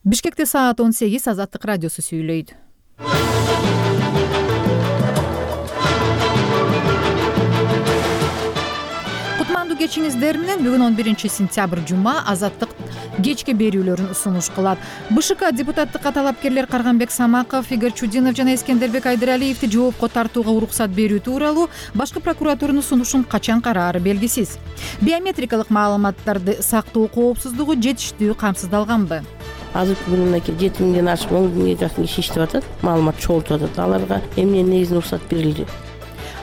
Бишкекте саат 18. Азаттык радиосу сүйлөйт. Кутмандуу кечиңиздер менен бүгүн 11 сентябрь жума Азаттык кечки берүүлөрүн сунуш кылат. БШК депутаттыкка талапкерлер Карганбек Самаков, Игорь Чудинов жана Эскендербек Айдыралиевди жоопко тартууга уруксат берүү тууралуу башкы прокуратуранын сунушун качан караары белгисиз. Биометрикалык маалыматтарды сактоо коопсуздугу жетиштүү камсыздалганбы? Азыркы күнү мынакей 7 миңден ашып 10 миңге жакын киши иштеп атат, маалымат чогултуп атат. Аларга эмне негизинен уруксат берилди?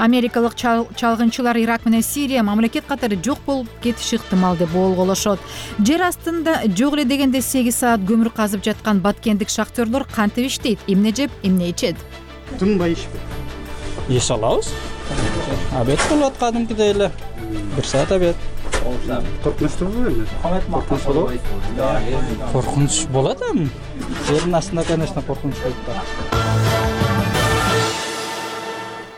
Америкалык чалгынчылар Ирак менен Сирия мамлекет катары жок болуп кетиши ыктымал деп болголошот. Жер астында жок эле дегенде 8 саат көмүр казып жаткан баткендик шахтерлор кантип иштейт, эмне жеп, эмне ичет? Тынбай иш алабыз. Обед болот кадимкидей эле. 1 саат обед. Коркунучтугу эмне? Коркунуч болот эми. Жердин астында, конечно, коркунуч болуп турат.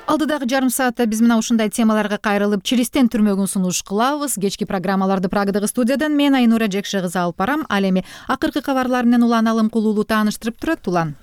Алдыдагы жарым саатта биз менен ушундай темаларга кайрылып, чиристен түрмөгүн сунуш кылабыз. Кечки программаларды Прагадагы студиядан мен Айнура Жекше кызы алып барам. Ал эми акыркы кабарлар менен Улан Алымкулуулу тааныштырып турат. Улан.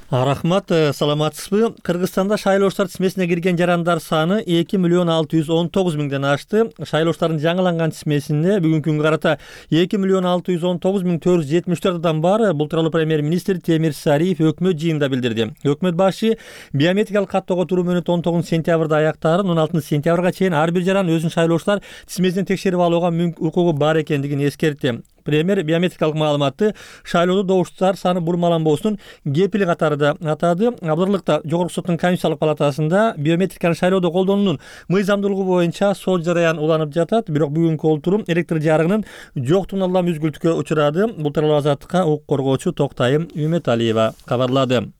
Рахмат, саламатсызбы? Кыргызстанда шайлоочулар тизмесине кирген жарандар саны 2.619.000ден ашты. Шайлоочулардын жаңыланган тизмесинде бүгүнкү күнгө карата 2.619.474 адам бар. Бул тууралуу премьер-министр Темир Сариев өкмөт жыйынында билдирди. Өкмөт башы биометрикалык каттоого туруу мөөнөтү 19 сентябрда аяктаарын 16 сентябрга чейин ар бир жаран өзүнүн шайлоочулар тизмесинен текшерип алууга укугу бар экендигин эскертти. Премьер биометрикалык маалыматты шайлоодо добуштар саны бурмаланбоосунун кепили катарында атады. Абдырлыкта Жогорку соттун Конституциялык палатасында биометриканы шайлоодо колдонуунун мыйзамдуулугу боюнча сот жараян уланып жатат. Бирок бүгүнкү олтурум электр жарыгынын жоктугунан улам үзгүлтүккө учурады. Бул тууралуу Азаттыкка укук коргоочу Токтайым Үмөталиева кабарлады.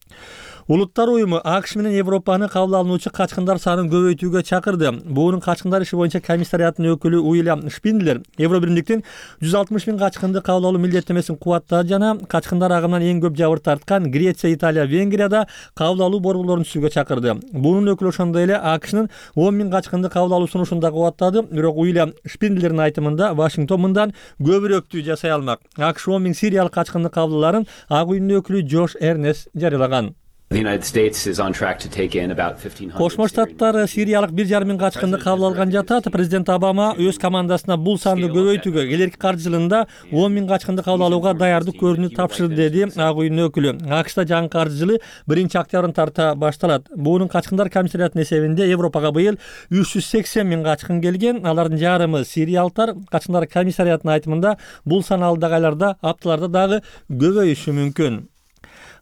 Улуттар уюму АКШ менен Европаны кабыл алуучу качкындар санын көбөйтүүгө чакырды. Буунун качкындар иши боюнча комиссариятынын өкүлү Уильям Шпиндлер Евро биримдиктин 160 000 качкынды кабыл алуу милдеттемесин кубаттады жана качкындар агымынан эң көп жабыр тарткан Греция, Италия, Венгрияда кабыл алуу борборлорун түзүүгө чакырды. Буунун өкүлү ошондой эле АКШнын 10 000 качкынды кабыл алуу сунушун да кубаттады. Бирок Уильям Шпиндлердин айтымында Вашингтон мындан көбүрөөктү жасай алмак. АКШ 10 000 сириялык качкынды кабыл аларын ак үйүнүн өкүлү Джош Эрнес жарыялаган. Кошмо Штаттар сириялык 1,5 миң качкынды кабыл алган жатат. Президент Обама өз командасына бул санды көбөйтүүгө келерки каржы жылында 10 000 качкынды кабыл алууга даярдык көрүүнү тапшырды, деди ак үйүнүн өкүлү. АКШда жаңы каржы жылы 1 октябрдан тарта башталат. Буунун качкындар комиссариятынын эсебинде Европага быйыл 380 000 качкын келген. Алардын жарымы сириялыктар. Качкындар комиссариятынын айтымында бул сан алдыдагы айларда, апталарда дагы көбөйүшү мүмкүн.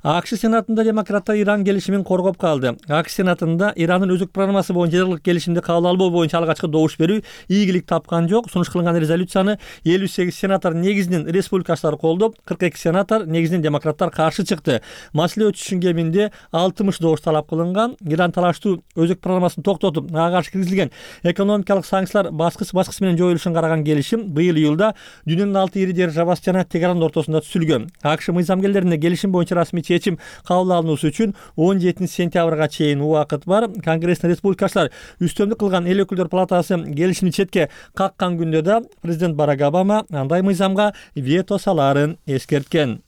АКШ Сенатында демократтар Иран келишимин коргоп калды. АКШ Сенатында Ирандын өзөк программасы боюнча жылдык келишимди кабыл албоо боюнча алгачкы добуш берүү ийгилик тапкан жок. Сунуш кылынган резолюцияны 58 сенатор негизинен республикачылар колдоп, 42 сенатор негизинен демократтар каршы чыкты. Маселе өтүшүнүн кеминде 60 добуш талап кылынган. Иран талаштуу өзөк программасын токтотуп, ага каршы киргизилген экономикалык санкциялар баскыч менен жоюлушун караган келишим быйыл июлда дүйнөнүн 6 ири державасы жана Тегерандын ортосунда түзүлгөн. АКШ мыйзамгерлерине келишим боюнча расмий чечим кабыл алынуусу үчүн 17 сентябрга чейин убакыт бар. Конгресстин республикачылар үстөмдүк кылган эл өкүлдөр палатасы келишимди четке каккан күндө да президент Барак Обама андай мыйзамга вето салаарын эскерткен.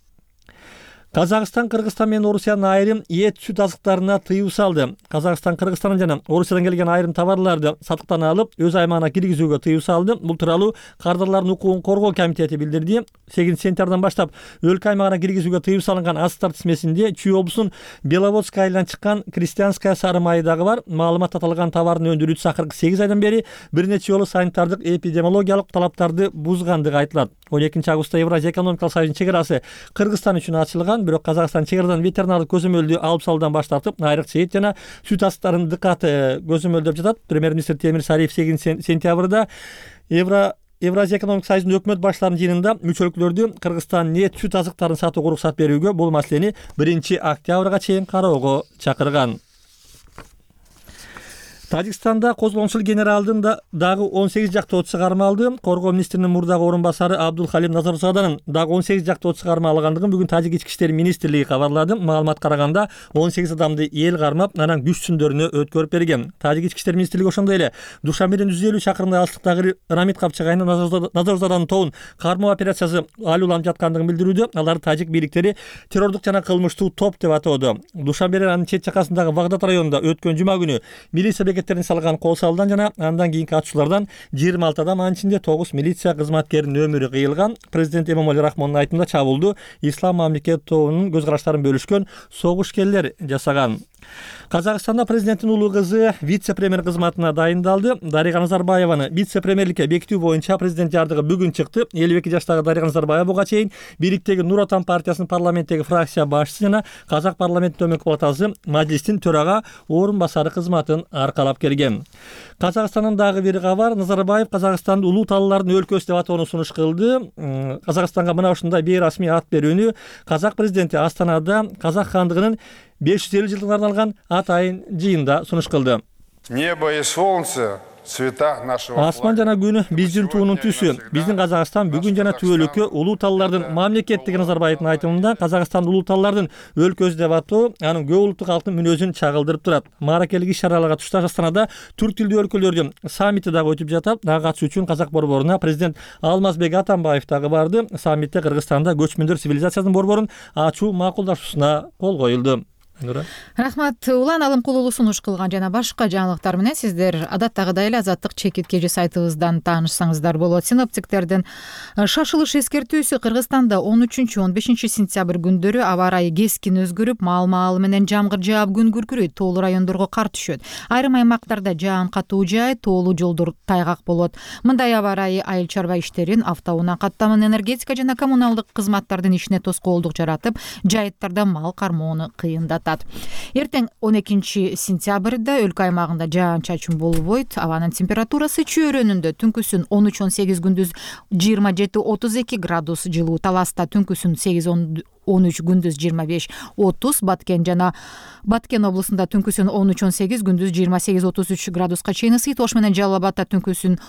Казакстан, Кыргызстан менен Орусиянын айрым эт сүт азыктарына тыюу салды. Казакстан, Кыргызстандан жана Орусиядан келген айрым товарларды сатыктан алып, өз аймагына киргизүүгө тыюу салды. Бул тууралуу Кардарлардын укугун коргоо комитети билдирди. 8 сентябрдан баштап өлкө аймагына киргизүүгө тыюу салынган азыктар тизмесинде Чүй облусунун Беловодск айылынан чыккан Крестьянская сары майы дагы бар. Маалымат аталган товардын өндүрүүчүсү акыркы 8 айдан бери бир нече жолу санитардык эпидемиологиялык талаптарды бузгандыгы айтылат. 12 августта Евразия экономикалык союзунун чек арасы Кыргызстан үчүн ачылган, бирок Казакстан чек-арадан ветеринардык көзөмөлдү алып салуудан баш тартып, айрыкча эт жана сүт азыктарын дыккаты көзөмөлдөп жатат. Премьер-министр Темир Сариев 8 сентябрда Евразия экономикалык союзунун өкмөт баштарынын жыйынында мүчөлүктөрдү Кыргызстандын эт сүт азыктарын сатууга уруксат берүүгө, бул маселени 1 октябрга чейин кароого чакырган. Тажикстанда козгончул генералдын дагы 18 жактоочусу кармалды. Коргоо министринин мурдагы орун басары Абдулхалим Назарзаданын дагы 18 жактоочусу кармалгандыгын бүгүн Тажик ички иштер министрлиги кабарлады. Маалыматка караганда 18 адамды эл кармап, анан күч-түндөрүнө өткөрүп берген. Тажик ички иштер министрлиги ошондой эле Душанбеден 150 чакырымдай алыстыктагы Рамид Капчагайны Назарзаданын тобун кармоо операциясы алууланып жаткандыгын билдирүүдө. Алар тажик бийликтери террордук жана кылмыштуу топ деп атоодо. Душанбеден анын чет жакасындагы Багдад районунда өткөн жума күнү милиция бекеттерин салган кол салдан жана андан кийинки атышуулардан 26 адам, анын ичинде 9 милиция кызматкеринин өмүрү кыйылган. Президент Эмомали Рахмондун айтымында чабуулду Ислам мамлекет тобунун көз караштарын бөлүшкөн согушкерлер жасаган. Казакстанда президенттин улуу кызы вице-премьер кызматына дайындалды. Дарига Назарбаеваны вице-премьерликке бекитүү боюнча президент жардыгы бүгүн чыкты. 52 жаштагы Дарига Назарбаева буга чейин бийликтеги Нур Отан партиясынын парламенттеги фракция башчысы жана Казак парламенттин төмөнкү палатасы Мажилистин төрага орун басары кызматын аркалап келген. Казакстандын дагы бир кабар. Назарбаев Казакстанды улуу талаалардын өлкөсү деп атоону сунуш кылды. Казакстанга мына ушундай бейрасмий ат берүүнү казак президенти Астанада Казак хандыгынын 550 жылдыгына арналган атайын жыйында сунуш кылды. Небо и солнце, цвета нашего. Асман жана күн биздин туунун түсү. Биздин Казакстан бүгүн жана түбөлүккө улуу талаалардын мамлекеттиги. Назарбаевдин айтымында Казакстан улуу талаалардын өлкөсү деп атоо анын көп улуттуу калктын мүнөзүн чагылдырып турат. Мааракелик иш-чараларга тушташ Астанада түрк тилдүү өлкөлөрдүн саммити дагы өтүп жатат. Дагы катышуу үчүн Казак борборуна президент Алмазбек Атамбаев дагы барды. Саммитте Кыргызстанда көчмөндөр цивилизациясынын борборун ачуу макулдашуусуна кол коюлду. Рахмат. Улан Алымкулуулу сунуш кылган жана башка жаңылыктар менен сиздер адаттагыдай эле Азаттык чекиткежи сайтыбыздан таанышсаңыздар болот. Синоптиктердин шашылыш эскертүүсү Кыргызстанда 13-15 сентябрь күндөрү аба ырайы кескин өзгөрүп, маал-маалы менен жамгыр жаап күн күркүрөйт, тоолуу райондорго кар түшөт. Айрым аймактарда жаан катуу жаайт, тоолуу жолдор тайгак болот. Мындай аба ырайы айыл чарба иштерин, автоунаа каттамын, энергетика жана коммуналдык кызматтардын ишине тоскоолдук жаратып, жайыттарда мал кармоону кыйындатат. Эртең 12 сентябрда өлкө аймагында жаан-чачын болбойт. Абанын температурасы чөйрөнүндө түнкүсүн 13-18, күндүз 27-32 градус жылуу. Таласта түнкүсүн 8-13, күндүз 25-30. Баткен облусунда түнкүсүн 13-18, күндүз 28-33 градуска чейин ысыйт. Ош менен Жалал Абадта түнкүсүн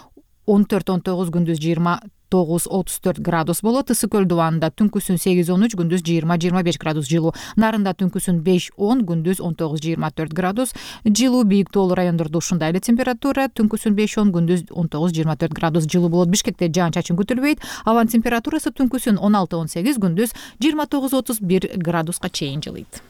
14-19, күндүз 29-34 градус болот. Ысык көл дубанында түнкүсүн 8-13, күндүз 20-25 градус жылуу. Нарында түнкүсүн 5-10, күндүз 19-24 градус жылуу. Бийик тоолуу райондордо ушундай эле температура, түнкүсүн 5-10, күндүз 19-24 градус жылуу болот. Бишкекте жаан-чачын күтүлбөйт. Абанын температурасы түнкүсүн 16-18, күндүз 29-31 градуска чейин жылыйт.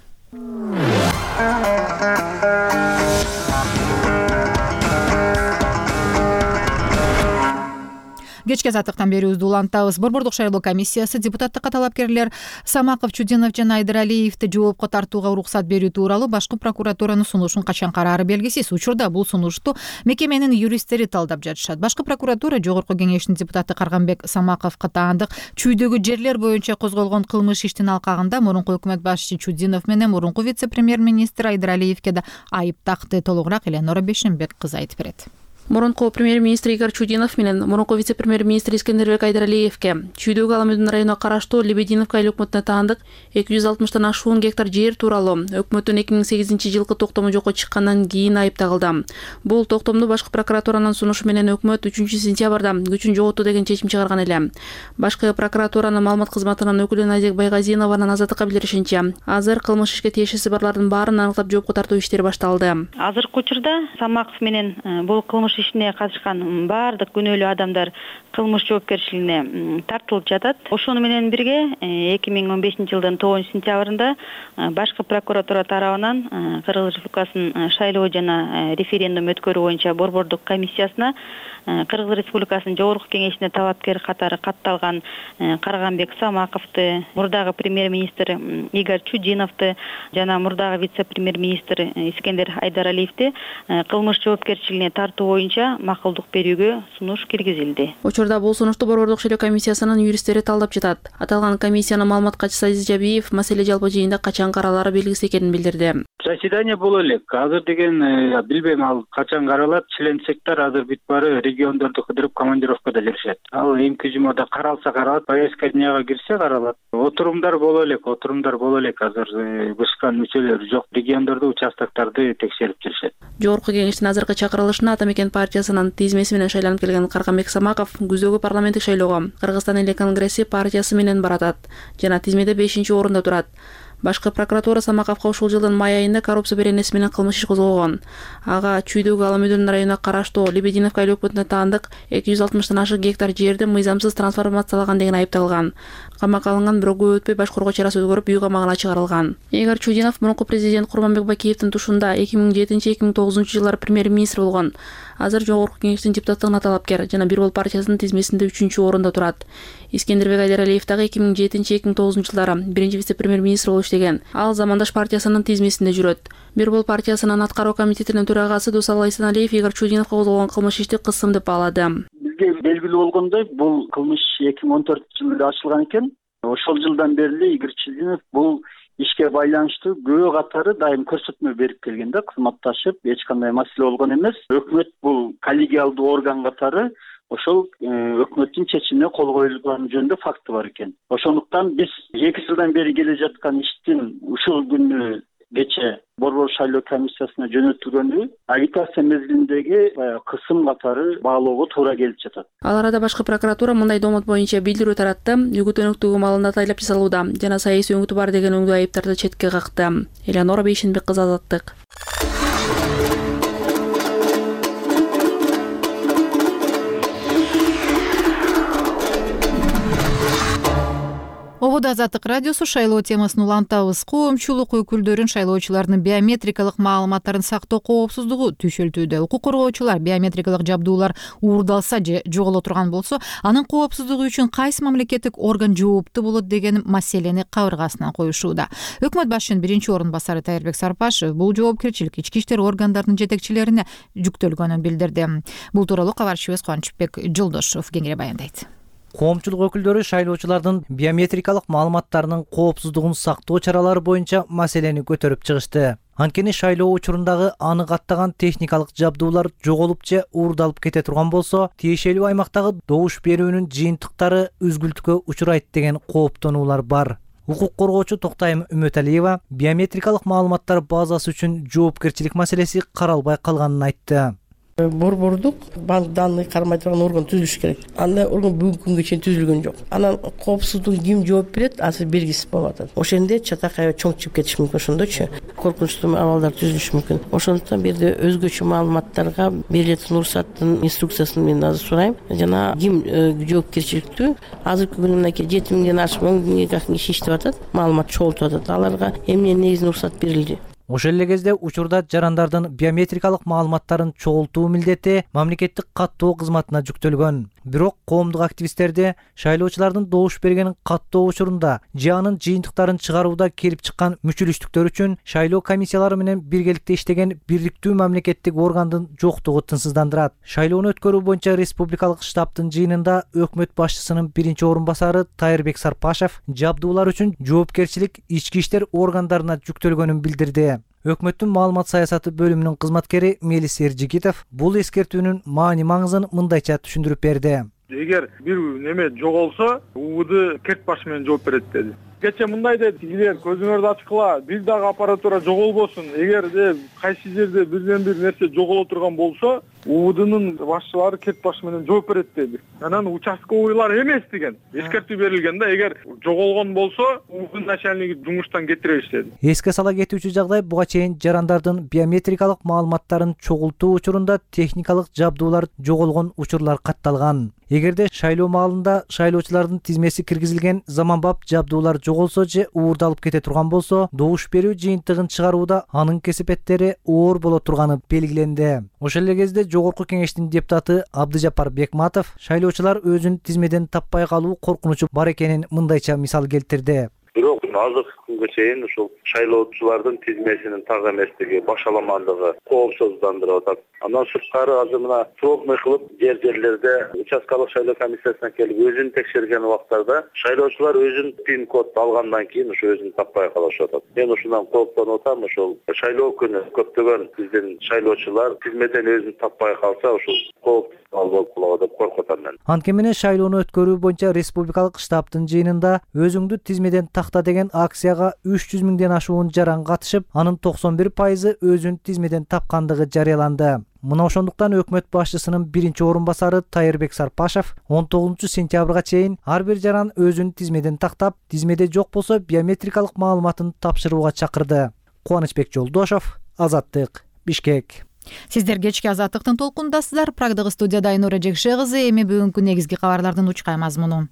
Кечки азаттыктан берүүбүздү улантабыз. Борбордук шайлоо комиссиясы депутаттыкка талапкерлер Самаков, Чудинов жана Айдыралиевди жоопко тартууга уруксат берүү тууралуу башкы прокуратуранын сунушун качан караары белгисиз. Учурда бул сунушту мекеменин юристтери талдап жатышат. Башкы прокуратура Жогорку кеңештин депутаты Карганбек Самаковго таандык чүйдөгү жерлер боюнча козголгон кылмыш иштин алкагында мурунку өкмөт башчы Чудинов менен мурунку вице-премьер-министр Айдыралиевге да айып такты. Толугураак Эленора Бешенбек кызы айтып берет. Мурунку премьер-министр Игорь Чудинов менен мурунку вице-премьер-министр Искендербек Айдыралиевге чүйдөгү Аламүдүн районуна караштуу Лебединовка айыл өкмөтүнө таандык 260 ашуун гектар жер тууралуу өкмөттүн 2008-жылкы токтому жокко чыккандан кийин айып тагылды. Бул токтомду башкы прокуратуранын сунушу менен өкмөт 3-сентябрда күчүн жоготуу деген чечим чыгарган эле. Башкы прокуратуранын маалымат кызматынын өкүлү Назик Байгазинованын Азаттыкка билдиришинче, азыр кылмыш ишке тиешеси барлардын баарын аныктап жоопко тартуу иштери башталды. Азыркы учурда Самаков менен бул кылмыш ишине катышкан баардык күнөөлүү адамдар кылмыш жоопкерчилигине тартылып жатат. Ошону менен бирге 2015-жылдын 9-сентябрында башкы прокуратура тарабынан Кыргыз Республикасынын шайлоо жана референдум өткөрүү боюнча борбордук комиссиясына Кыргыз Республикасынын Жогорку кеңешине талапкер катары катталган Карганбек Самаковду, мурдагы премьер-министр Игорь Чудиновду жана мурдагы вице-премьер-министр Искендер Айдыралиевди кылмыш жоопкерчилигине тартуу боюнча макулдук берүүгө сунуш киргизилди. Учурда бул сунушту борбордук шайлоо комиссиясынын юристтери талдап жатат. Аталган комиссиянын маалымат катчысы Азиз Жабиев маселе жалпы жыйында качан каралары белгисиз экенин билдирди. Заседание боло элек. Азыр деген билбейм ал качан каралат. Членсектер азыр бүт баары региондорду кыдырып командировкада жүрүшөт. Ал эмки жумада каралса каралат, повестка дняга кирсе каралат. Отурумдар боло элек. Азыр БШКнын мүчөлөрү жок. Региондорду, участоктарды текшерип жүрүшөт. Жогорку кеңештин азыркы чакырылышына Ата Мекен партиясынын тизмеси менен шайланып келген Карганбек Самаков күздөгү парламенттик шайлоого Кыргызстан эле конгресси партиясы менен баратат жана тизмеде 5-орунда турат. Башкы прокуратура Самаковго ушул жылдын май айында коррупция беренеси менен кылмыш иш козгогон. Ага Чүйдөгү Ала Мөдөн районуна караштуу Лебединовка айлык өкмөтүнө таандык 260 ашык гектар жерди мыйзамсыз трансформациялаган деген айыпталган. Камакка алынган, бирок көп өтпөй башкаруу чарасы өзгөрүп, үй камагына чыгарылган. Игорь Чудинов мурунку президент Курманбек Бакиевдин тушунда 2007-2009 жылдары премьер-министр болгон. Азыр жогорку кеңештин депутаттыгына талапкер жана Бир Бол партиясынын тизмесинде 3-орунда турат. Искендербек Айдаралиев дагы 2007-2009 жылдары биринчи вице-премьер-министр болуп иштеген. Ал Замандаш партиясынын тизмесинде жүрөт. Бир Бол партиясынын аткаруу комитетинин төрагасы Дусал Айсаналиев Игорь Чудиновго козголгон кылмыш ишти кысым деп баалады. Бизге белгилүү болгондой, бул кылмыш 2014-жылда ачылган экен. Ошол жылдан бери Игорь Чудинов бул ишке байланыштуу көбү катары дайым көрсөтмө берип келген да, кызматташып, эч кандай маселе болгон эмес. Өкмөт бул коллегиалдуу орган катары ошол өкмөттүн чечимине кол коюлган жөнүндө факты бар экен. Ошондуктан биз 2 жылдан бери келе жаткан иштин ушул күнү кече Борбор шайлоо комиссиясына жөнөтүлгөнү агитация мезгилиндеги кысым катары баалоого туура келип жатат. Ал арада башкы прокуратура мындай домот боюнча билдирүү таратты. Үгүт өнөктүгү маалында тайлап жасалууда жана саясий өңүтү бар деген өңдүү айыптарды четке какты. Элеонора Бейшенбек кызы, Азаттык. Обода Азаттык радиосу шайлоо темасын улантабыз. Коомчулук өкүлдөрүн шайлоочулардын биометрикалык маалыматтарын сактоо коопсуздугу түшөлтүүдө. Укук коргоочулар биометрикалык жабдуулар уурдалса же жоголо турган болсо, анын коопсуздугу үчүн кайсы мамлекеттик орган жооптуу болот деген маселени кабыргасына коюшууда. Өкмөт башчынын 1-орун басары Тайырбек Сарпашев бул жоопкерчилик ички иштер органдарынын жетекчилерине жүктөлгөнүн билдирди. Бул тууралуу кабарчыбыз Кубанычбек Жолдошов кеңири баяндайт. Коомчулук өкүлдөрү шайлоочулардын биометрикалык маалыматтарынын коопсуздугун сактоо чаралары боюнча маселени көтөрүп чыгышты. Анткени шайлоо учурундагы аны каттаган техникалык жабдуулар жоголуп же уурдалып кете турган болсо, тиешелүү аймактагы добуш берүүнүн жыйынтыктары үзгүлтүккө учурайт деген кооптонуулар бар. Укук коргоочу Токтайым Үмөталиева биометрикалык маалыматтар базасы үчүн жоопкерчилик маселеси каралбай калганын айтты. Борбордук банк данный кармай турган орган түзүлүш керек. Андай орган бүгүнкү күнгө чейин түзүлгөн жок. Анан коопсуздук ким жооп берет, азыр белгисиз болуп атат. Ошондо чатакай чоң чыгып кетиш мүмкүн, ошондочу коркунучтуу абалдар түзүлүшү мүмкүн. Ошондуктан бир жерде өзгөчө маалыматтарга берилетін уруксаттын инструкциясын мен азыр сурайм. Жана ким жоопкерчиликтүү? Азыркы күнү мынакей 7 миңден ашып 10 миңге жакын киши иштеп атат, маалымат чогултуп атат. Аларга эмне негизинен уруксат берилди? Ошол эле кезде учурда жарандардын биометрикалык маалыматтарын чогултуу милдети мамлекеттик каттоо кызматына жүктөлгөн. Бирок коомдук активисттерди шайлоочулардын добуш берген каттоо учурунда же анын жыйынтыктарын чыгарууда келип чыккан мүчүлүштүктөр үчүн шайлоо комиссиялары менен биргеликте иштеген бирликтүү мамлекеттик органдын жоктугу тынчсыздандырат. Шайлоону өткөрүү боюнча республикалык штабтын жыйынында өкмөт башчысынын 1-орун басары Тайырбек Сарпашев жабдуулар үчүн жоопкерчилик ички иштер органдарына жүктөлгөнүн билдирди. Өкмөттүн маалымат саясаты бөлүмүнүн кызматкери Мелис Эржигитов бул эскертүүнүн маани-маңызын мындайча түшүндүрүп берди. Эгер бир неме жоголсо, УВД керт башы менен жооп берет деди. Кече мындай деди, силер көзүңөрдү ачкыла, бир дагы аппаратура жоголбосун. Эгер кайсы жерде бирден бир нерсе жоголо турган болсо, УВДнын башчылары керт башы менен жооп берет деди. Анан участковыйлар эмес деген эскертүү берилген да, эгер жоголгон болсо, УВД начальниги жумуштан кетиребиз деди. Эске сала кетүүчү жагдай буга чейин жарандардын биометрикалык маалыматтарын чогултуу учурунда техникалык жабдуулар жоголгон учурлар катталган. Эгерде шайлоо маалында шайлоочулардын тизмеси киргизилген заманбап жабдуулар жоголсо же уурдалып кете турган болсо, добуш берүү жыйынтыгын чыгарууда анын кесепеттери оор боло турганы белгиленди. Ошол эле кезде жогорку кеңештин депутаты Абдыжапар Бекматов шайлоочулар өзүн тизмеден таппай калуу коркунучу бар экенин мындайча мисал келтирди. Бирок азыркы күнгө чейин ушул шайлоочулардын тизмесинин так эместиги, башаламандыгы коопсуздандырып атат. Андан сырткары азыр мына пробный кылып жерлерде участкалык шайлоо комиссиясына келип өзүн текшерген убактарда шайлоочулар өзүн пин код алгандан кийин ушу өзүн таппай калышып атат. Мен ушундан кооптонуп атам. Ушул шайлоо күнү көптөгөн биздин шайлоочулар тизмеден өзүн таппай калса ушул кооп болуп калат деп коркуп атам мен. Анткени менен шайлоону өткөрүү боюнча республикалык штабтын жыйынында өзүңдү тизмеден такта деген акцияга 300 миңден ашуун жаран катышып, анын 91% өзүн тизмеден тапкандыгы жарыяланды. Мына ошондуктан өкмөт башчысынын биринчи орун басары Тайырбек Сарпашев 19-сентябрга чейин ар бир жаран өзүн тизмеден тактап, тизмеде жок болсо биометрикалык маалыматын тапшырууга чакырды. Кубанычбек Жолдошов, Азаттык, Бишкек. Сиздер кечки Азаттыктын толкундасыздар. Прагдагы студияда Айнура Жекше кызы. Эми бүгүнкү негизги кабарлардын учкай мазмуну.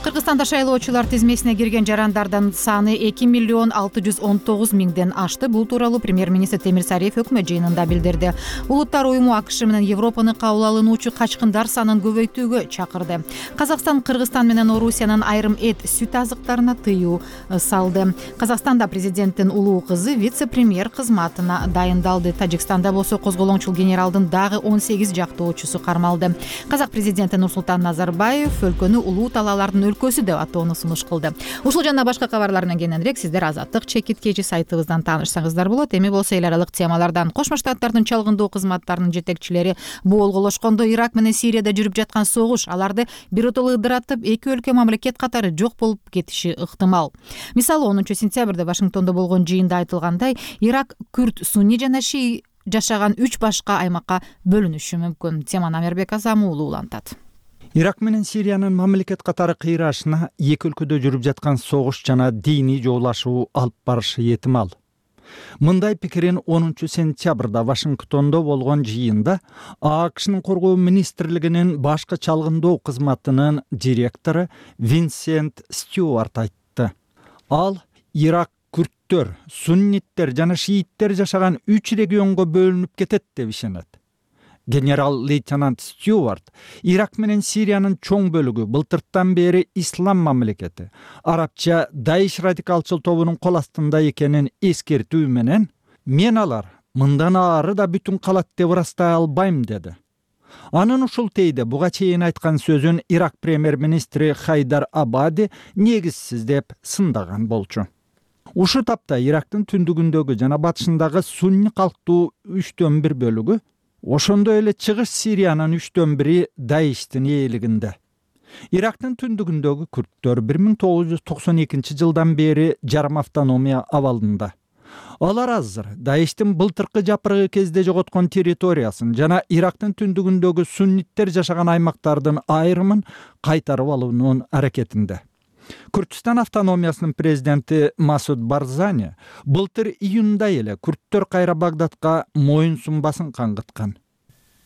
Кыргызстанда шайлоочулар тизмесине кирген жарандардын саны 2,619,000ден ашты. Бул тууралуу премьер-министр Темир Сариев өкмөт жыйынында билдирди. Улуттар уюму АКШ менен Европаны кабыл алуучу качкындар санын көбөйтүүгө чакырды. Казакстан, Кыргызстан менен Орусиянын айрым эт, сүт азыктарына тыюу салды. Казакстанда президенттин улуу кызы вице-премьер кызматына дайындалды. Тажикстанда болсо козголоңчул генералдын дагы 18 жактоочусу кармалды. Казак президенти Нурсултан Назарбаев өлкөнү улуу талаалардын өлкөсү деп атоону сунуш кылды. Ушул жана башка кабарлар менен кененирээк сиздер Азаттык чекиткечи сайтыбыздан таанышсаңыздар болот. Эми болсо эл аралык темалардан Кошмо Штаттардын чалгындоо кызматтарынын жетекчилери боолголошкондо Ирак менен Сирияда жүрүп жаткан согуш аларды биротоло ыдыратып, эки өлкө мамлекет катары жок болуп кетиши ыктымал. Мисалы 10-сентябрда Вашингтондо болгон жыйында айтылгандай, Ирак күрд, сунни жана шии жашаган 3 башка аймакка бөлүнүшү мүмкүн. Теманы Амербек Азамы уулу улантат. Ирак менен Сириянын мамлекет катары кыйрашына эки өлкөдө жүрүп жаткан согуш жана диний жоолашуу алып барышы этимал. Мындай пикирин 10-сентябрда Вашингтондо болгон жыйында АКШнын коргоо министрлигинин башкы чалгындоо кызматынын директору Винсент Стюарт айтты. Ал Ирак күрттөр, сунниттер жана шииттер жашаган 3 регионго бөлүнүп кетет деп ишенет. Генерал-лейтенант Стюарт Ирак менен Сириянын чоң бөлүгү былтыртан бери ислам мамлекети, арабча Даиш радикалчыл тобунун кол астында экенин эскертүү менен, мен алар мындан ары да бүтүн калат деп ырастай албайм деди. Анын ушул тейде буга чейин айткан сөзүн Ирак премьер-министри Хайдар Абади негизсиз деп сындаган болчу. Ушу тапта Ирактын түндүгүндөгү жана батышындагы сунни калктуу 3/1 бөлүгү, ошондой эле чыгыш Сириянын 3/1 Даиштин ээлигинде. Ирактын түндүгүндөгү күрттөр 1992 жылдан бери жарым автономия абалында. Алар азыр Даиштин былтыркы жапырыгы кезде жоготкон территориясын жана Ирактын түндүгүндөгү сунниттер жашаган аймактардын айрымын кайтарып алуунун аракетинде. Күрдстан автономиясынын президенти Масуд Барзани былтыр июнда эле күрттөр кайра Багдадка моюн сунбасын каңгыткан.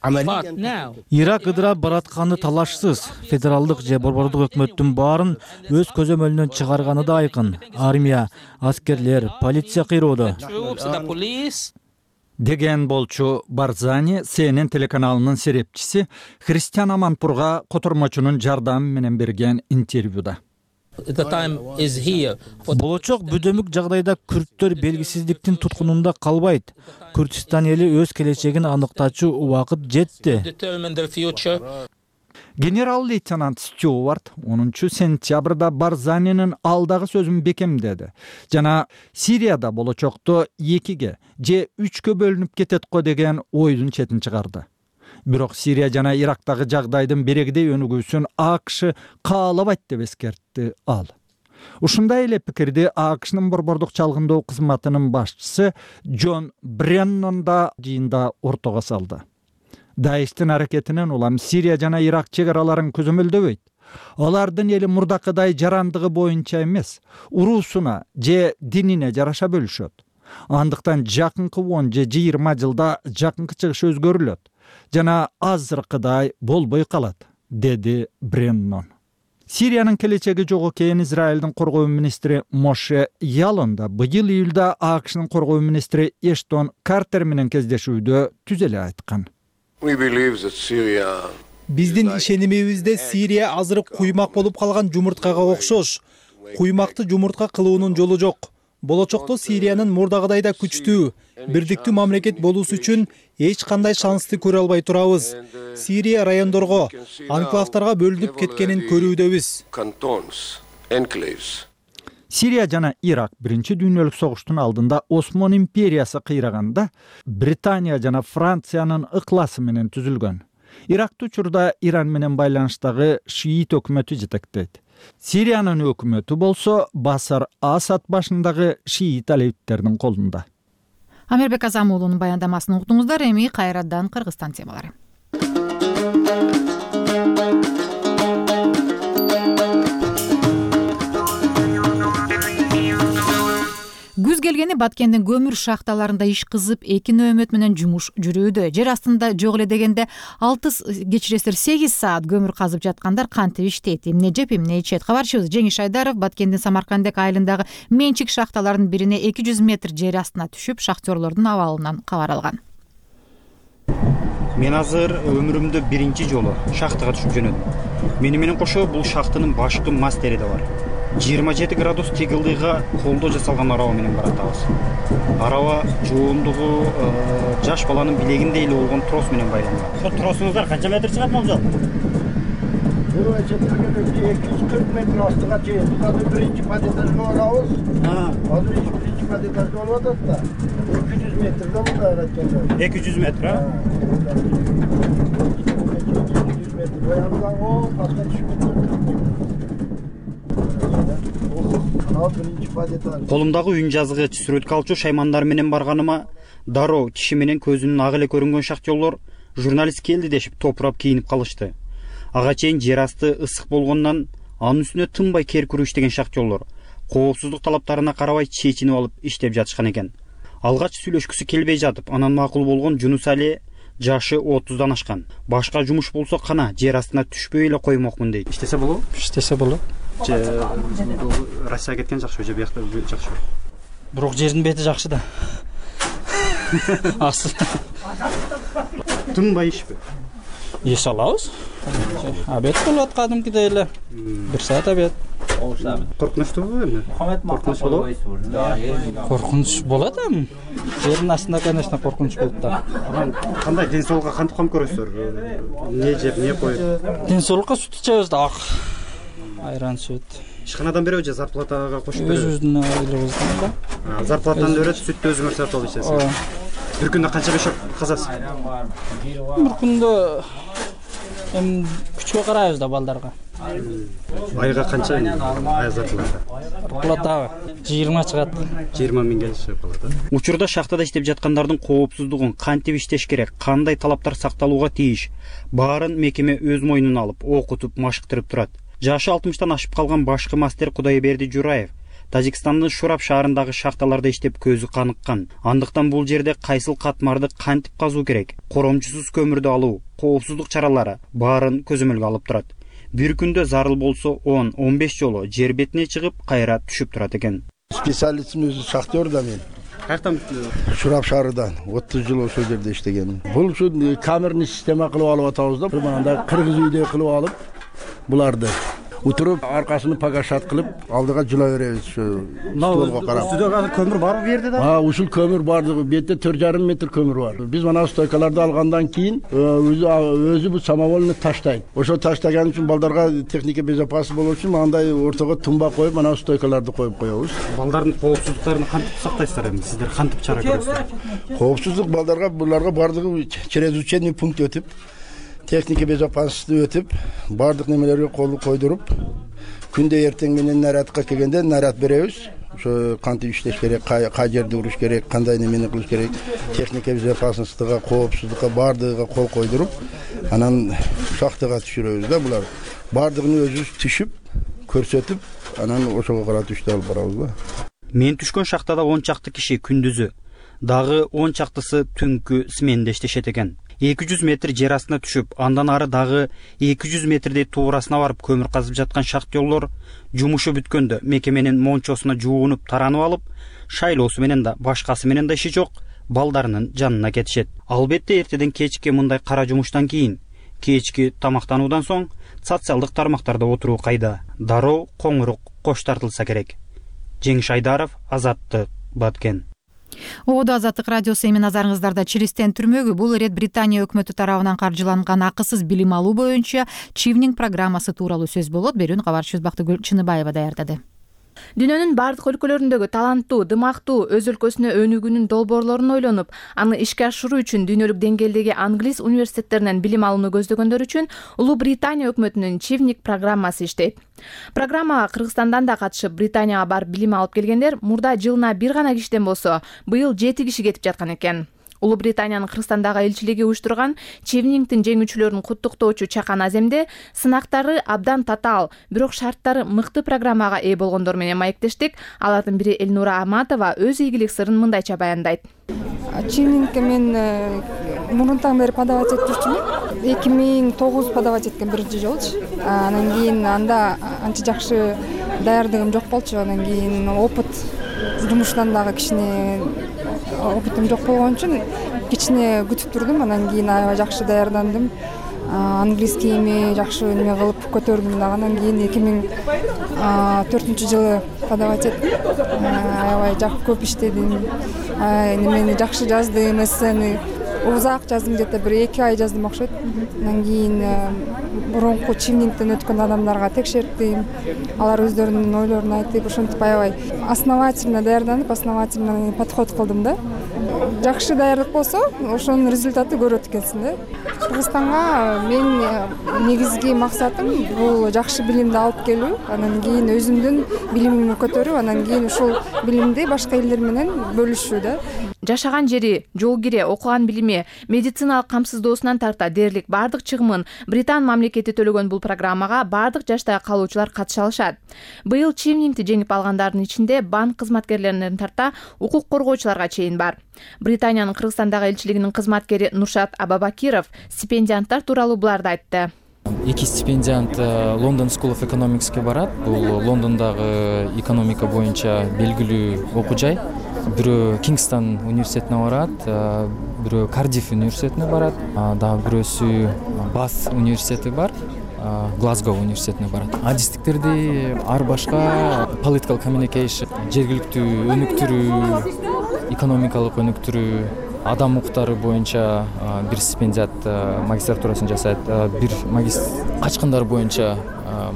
Ирак ыдырап баратканы талашсыз. Федералдык же борбордук өкмөттүн баарын өз көзөмөлүнөн чыгарганы да айкын. Армия, аскерлер, полиция кыйроодо. Деген болчу Барзани CNN телеканалынын серепчиси Христиан Аманпурга котормочунун жардамы менен берген интервьюда. Болочок бүдөмүк жагдайда күрттөр белгисиздиктин туткунунда калбайт. Күрдстан эли өз келечегин аныктачу убакыт жетти. Генерал-лейтенант Стюарт 10-сентябрда Барзанинин алдагы сөзүн бекемдеди. Жана Сирияда болочокто 2-ге же 3-кө бөлүнүп кетет го деген ойдун четин чыгарды. Бирок Сирия жана Ирактагы жагдайдын берегдей өнүгүүсүн АКШ каалабайт деп эскертти ал. Ушундай эле пикирди АКШнын борбордук чалгындоо кызматынын башчысы Джон Бреннон да жыйында ортого салды. Даиштин аракетинен улам Сирия жана Ирак чек араларын көзөмөлдөбөйт. Алардын эли мурдакыдай жарандыгы боюнча эмес, уруусуна же динине жараша бөлүшөт. Андыктан жакынкы 10 же 20 жылда жакынкы чыгыш өзгөрүлөт жана азыркыдай болбой калат, деди Бреннон. Сириянын келечеги жок экенин Израилдин коргоо министри Моше Ялон да быйыл июлда АКШнын коргоо министри Эштон Картер менен кездешүүдө түз эле айткан. Биздин ишенимибизде Сирия азыр куймак болуп калган жумурткага окшош. Куймакты жумуртка кылуунун жолу жок. Болочокто Сириянын мурдагыдай да күчтүү, бирдиктүү мамлекет болуусу үчүн эч кандай шансты көрө албай турабыз. Сирия райондорго, анклавтарга бөлүнүп кеткенин көрүүдөбүз. Сирия жана Ирак биринчи дүйнөлүк согуштун алдында Осман империясы кыйраганда Британия жана Франциянын ыкласы менен түзүлгөн. Иракты учурда Иран менен байланыштагы шиит өкмөтү жетектейт. Сириянын өкмөтү болсо Басар Асад башындагы шиит алевиттердин колунда. Амирбек Азам уулунун баяндамасын уктуңуздар. Эми кайрадан Кыргызстан темалары. Күз келгени Баткендин көмүр шахталарында иш кызып, эки нөөмөт менен жумуш жүрүүдө. Жер астында жок эле дегенде 8 саат көмүр казып жаткандар кантип иштейт, эмне жеп, эмне ичет? Кабарчыбыз Жеңиш Айдаров Баткендин Самаркандек айылындагы менчик шахталарынын бирине 200 метр жер астына түшүп, шахтерлордун абалынан кабар алган. Мен азыр өмүрүмдө биринчи жолу шахтага түшүп жөнөдүм. Мени менен кошо бул шахтанын башкы мастери да бар. 27 градус тегилдыйга колдо жасалган араба менен баратабыз. Араба жоондугу жаш баланын билегиндей эле болгон трос менен байланган. Ошо тросуңуздар канча метр чыгат болжол? Бул 240 метр астыга чейин. Биз азыр биринчи подэтажга барабыз. Азыр биринчи подэтажга болуп атат да. 200 метрден мындай айтканда. 200 метр, а? 200 метр. Баягыдан о, паска түшүп кетти. Колумдагы үн жазгыч, сүрөткө алчу шаймандар менен барганыма дароо киши менен көзүнүн ак эле көрүнгөн шахтерлор журналист келди дешип топурап кийинип калышты. Ага чейин жер асты ысык болгондон анын үстүнө тынбай кер күрүү иштеген шахтерлор коопсуздук талаптарына карабай чечинип алып иштеп жатышкан экен. Алгач сүйлөшкүсү келбей жатып, анан макул болгон Жунус Али жашы 30дан ашкан. Башка жумуш болсо кана жер астына түшпөй эле коймокмун дейт. Иштесе болобу? Иштесе болот. Россияга кеткен жакшы, же биякта жакшы. Бирок жердин бети жакшы да. Асыл. Тынбай ишпи? Еш алабыз. Обед болот кадимкидей эле. 1 саат обед. Коркунучтуубу эми? Коркунуч болобу? Коркунуч болот эми. Жердин астында, конечно, коркунуч болот да. Кандай ден соолукка кантип кам көрөсүздөр? Не жеп, не коюп? Ден соолукка сүт ичебиз да. Айран сүт. Ишканадан береби же зарплатага кошуп береби? Өзүбүздүн айлыгыбыздан да. Зарплатаны берет, сүттү өзүңөр сатып алып ичесиз. Бир күндө канча бешок казасыз? Бир күндө эми күчкө карайбыз да балдарга. Айга канча ай зарплата? Зарплата 20 чыгат. 20 миңге чыгып калат. Учурда шахтада иштеп жаткандардын коопсуздугун кантип иштеш керек, кандай талаптар сакталууга тийиш, баарын мекеме өз мойнуна алып, окутуп, машыктырып турат. Жашы 60тан ашып калган башкы мастер Кудайберди Жураев Тажикстандын Шурап шаарындагы шахталарда иштеп көзү каныккан. Андыктан бул жерде кайсыл катмарды кантип казуу керек, коромчусуз көмүрдү алуу, коопсуздук чаралары баарын көзөмөлгө алып турат. Бир күндө зарыл болсо 10-15 жолу жер бетине чыгып, кайра түшүп турат экен. Специалистим өзү шахтер да мен. Каяктан? Шурап шаарынан 30 жыл ошол жерде иштегенмин. Бул ушу камерный система кылып алып атабыз да. Мындай кыргыз үйдө кылып алып буларды утуруп аркасыны погашат кылып алдыга жыла беребиз ушу столго карап. Үстүдө көмүр барбы бу жерде да? Ушул көмүр бардыгы бетте 4,5 метр көмүр бар. Биз мына стойкаларды алгандан кийин өзү бу самовольно таштайт. Ошо таштаган үчүн балдарга техника безопасность болуу үчүн андай ортого тумба коюп, мына стойкаларды коюп коебуз. Балдардын коопсуздуктарын кантип сактайсыздар эми? Сиздер кантип чара көрөсүздөр? Коопсуздук балдарга буларга бардыгы через учебный пункт өтүп, техника безопасности өтүп, бардык немелерге кол койдуруп, күндө эртең менен нарядка келгенде наряд беребиз. Ошо кантип иштеш керек, кай жерде уруш керек, кандай немени кылыш керек, техника безопасностьга, коопсуздукка бардыгыга кол койдуруп, анан шахтага түшүрөбүз да булар. Бардыгын өзүбүз түшүп, көрсөтүп, анан ошого карап түштү алып барабыз да. Мен түшкөн шахтада 10 чакты киши күндүзү, дагы 10 чактысы түнкү сменде иштешет экен. 200 метр жер астына түшүп, андан ары дагы 200 метрдей туурасына барып көмүр казып жаткан шахтерлор жумушу бүткөндө мекеменин мончосуна жуунуп, таранып алып, шайлоосу менен да, башкасы менен да иши жок балдарынын жанына кетишет. Албетте эртеден кечке мындай кара жумуштан кийин Кечки тамактануудан соң социалдык тармактарда отуруу кайда. Дароо коңурук кош тартылса керек. Жеңиш Айдаров, Азаттык, Баткен. Ободо Азаттык радиосу эми назарыңыздарда Чиристен түрмөгү. Бул ирет Британия өкмөтү тарабынан каржыланган акысыз билим алуу боюнча Чивнинг программасы тууралуу сөз болот. Берүүнү кабарчыбыз Бактыгүл Чыныбаева даярдады. Дүйнөнүн бардык өлкөлөрүндөгү таланттуу, дымактуу, өз өлкөсүнө өнүгүүнүн долбоорлорун ойлонуп, аны ишке ашыруу үчүн дүйнөлүк деңгээлдеги англис университеттеринен билим алууну көздөгөндөр үчүн Улуу Британия өкмөтүнүн Чивнинг программасы иштейт. Программага Кыргызстандан да катышып, Британияга барып билим алып келгендер мурда жылына бир гана кишиден болсо, быйыл 7 киши кетип жаткан экен. Улуу Британиянын Кыргызстандагы элчилиги уюштурган Чивнингдин жеңүүчүлөрүн куттуктоочу чакан аземде сынактары абдан татаал, бирок шарттары мыкты программага ээ болгондор менен маектештик. Алардын бири Элнура Аматова өз ийгилик сырын мындайча баяндайт. Чивнингге мен мурунтан бери подавать этип жүрчүмүн. 2009 подавать эткен биринчи жолучу. Анан кийин анда анча жакшы даярдыгым жок болчу. Анан кийин опыт жумуштан дагы кичине опытым жок болгон үчүн кичине күтүп турдум. Анан кийин аябай жакшы даярдандым. Английскийми жакшы неме кылып көтөрдүм дагы. Анан кийин 2004-жылы подавать эттим. Аябай көп иштедим. Немени жакшы жаздым, эссени узак жаздым, где-то бир 2 ай жаздым окшойт. Анан кийин мурунку Чивнингден өткөн адамдарга текшерттим. Алар өздөрүнүн ойлорун айтып, ошентип аябай основательно даярданып, основательно подход кылдым да. Жакшы даярдык болсо, ошонун результаты көрөт экенсиң да. Кыргызстанга мен негизги максатым бул жакшы билимди алып келүү, анан кийин өзүмдүн билимимди көтөрүп, анан кийин ушул билимди башка элдер менен бөлүшүү да. Жашаган жери, жол кире, окуган билими, медициналык камсыздоосунан тарта дээрлик бардык чыгымын Британ мамлекети төлөгөн бул программага бардык жаштагы калуучулар катыша алышат. Быйыл Чивнингди жеңип алгандардын ичинде банк кызматкерлеринен тарта укук коргоочуларга чейин бар. Британиянын Кыргызстандагы элчилигинин кызматкери Нуршат Абабакиров стипендианттар тууралуу буларды айтты. 2 стипендиант London School of Economics'ке барат. Бул Лондондогу экономика боюнча белгилүү окуу жай. Бирөө Кингстон университетине барат, бирөө Кардиф университетине барат, дагы бирөөсү Бас университети бар, Глазго университетине барат. Адистиктерди ар башка political communication, жергиликтүү өнүктүрүү, экономикалык өнүктүрүү, адам укуктары боюнча бир стипендиат магистратурасын жасайт, бир качкындар боюнча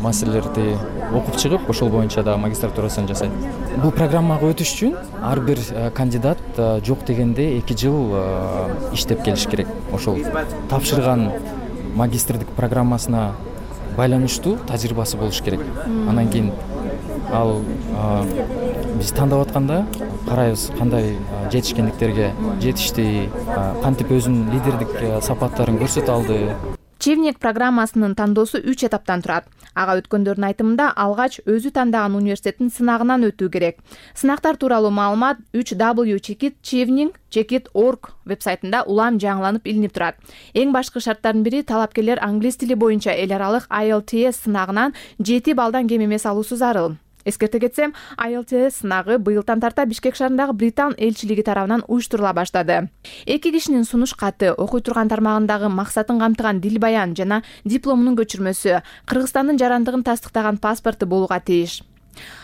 маселелерди окуп чыгып, ошол боюнча да магистратурасын жасайт. Бул программага өтүш үчүн ар бир кандидат жок дегенде 2 жыл иштеп келиш керек. Ошол тапшырган магистрдик программасына байланыштуу тажрыйбасы болуш керек. Анан кийин ал биз тандап атканда карайбыз кандай жетишкендиктерге жетишти, кантип өзүнүн лидердик сапаттарын көрсөтө алды. Чивнинг программасынын тандоосу 3 этаптан турат. Ага өткөндөрдүн айтымында алгач өзү тандаган университеттин сынагынан өтүү керек. Сынактар тууралуу маалымат 3w.chivning.org вебсайтында улам жаңыланып илинип турат. Эң башкы шарттардын бири талапкерлер англис тили боюнча эл аралык IELTS сынагынан 7 балдан кем эмес алуусу зарыл. Эскерте кетсем, IELTS сынагы быйылдан тарта Бишкек шаарындагы Британ элчилиги тарабынан уюштурула баштады. 2 кишинин сунуш каты, окуй турган тармагындагы максатын камтыган дил баян жана дипломунун көчүрмөсү, Кыргызстандын жарандыгын тастыктаган паспорту болууга тийиш.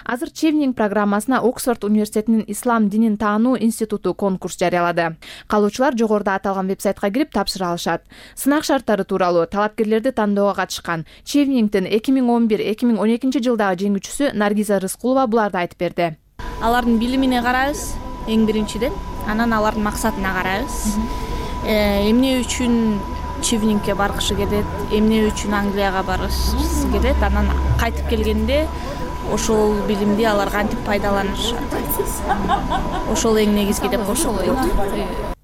Азыр Чивнинг программасына Оксфорд университетинин Ислам динин таануу институту конкурс жарыялады. Калуучулар жогоруда аталган вебсайтка кирип тапшыра алышат. Сынак шарттары тууралуу талапкерлерди тандоого катышкан Чивнингдин 2011-2012 жылдагы жеңүүчүсү Наргиза Рыскулова буларды айтып берди. Алардын билимине карайбыз эң биринчиден, анан алардын максатына карайбыз. Эмне үчүн Чивнингге баргысы келет, эмне үчүн Англияга баргысы келет, анан кайтып келгенде ошол билимди алар кантип пайдаланышат. Ошол эң негизги деп көрсөтөлөт.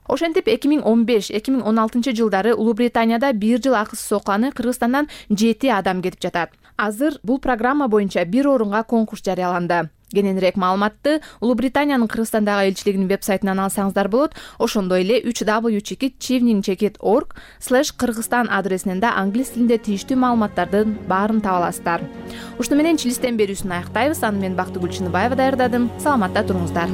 Ошентип 2015-2016 жылдары Улуу Британияда 1 жыл акысыз окуганы Кыргызстандан 7 адам кетип жатат. Азыр бул программа боюнча 1 орунга конкурс жарыяланды. Кененирээк маалыматты Улуу Британиянын Кыргызстандагы элчилигинин вебсайтынан алсаңыздар болот. Ошондой эле 3w.chivning.org/Кыргызстан адресинен да англис тилинде тийиштүү маалыматтардын баарын таба аласыздар. Ушуну менен Чилистен берүүсүн аяктайбыз. Аны мен Бактыгүл Чыныбаева даярдадым. Саламатта туруңуздар.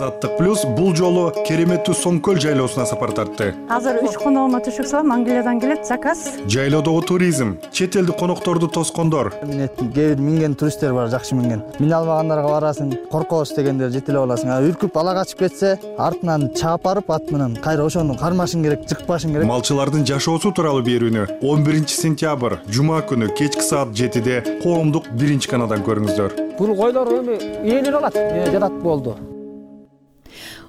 Азаттык плюс бул жолу кереметтүү Соңкөл жайлоосуна сапар тартты. Азыр 3 коногума түшүп салам, Англиядан келет, заказ. Жайлоодогу туризм, чет элдик конокторду тоскондор. Кээ бир минген туристтер бар, жакшы минген. Мине албагандарга барасың, коркобуз дегендер жетелеп аласың. Үркүп ала качып кетсе, артынан чаап барып ат менен кайра ошону кармашың керек, жыкпашың керек. Малчылардын жашоосу тууралуу берүүнү 11-сентябрь жума күнү кечки саат 7-де коомдук 1-каналдан көрүңүздөр. Бул койлор эми ээлер алат, жатат болду.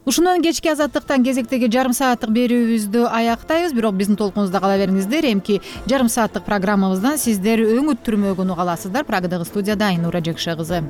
Ушундан кечки Азаттыктан кезектеги жарым сааттык берүүбүздү аяктайбыз, бирок биздин толкунубузда кала бериңиздер. Эмки жарым сааттык программабыздан сиздер өң үттүрмөгүн уга аласыздар. Прагадагы студияда Айнура Жекше кызы.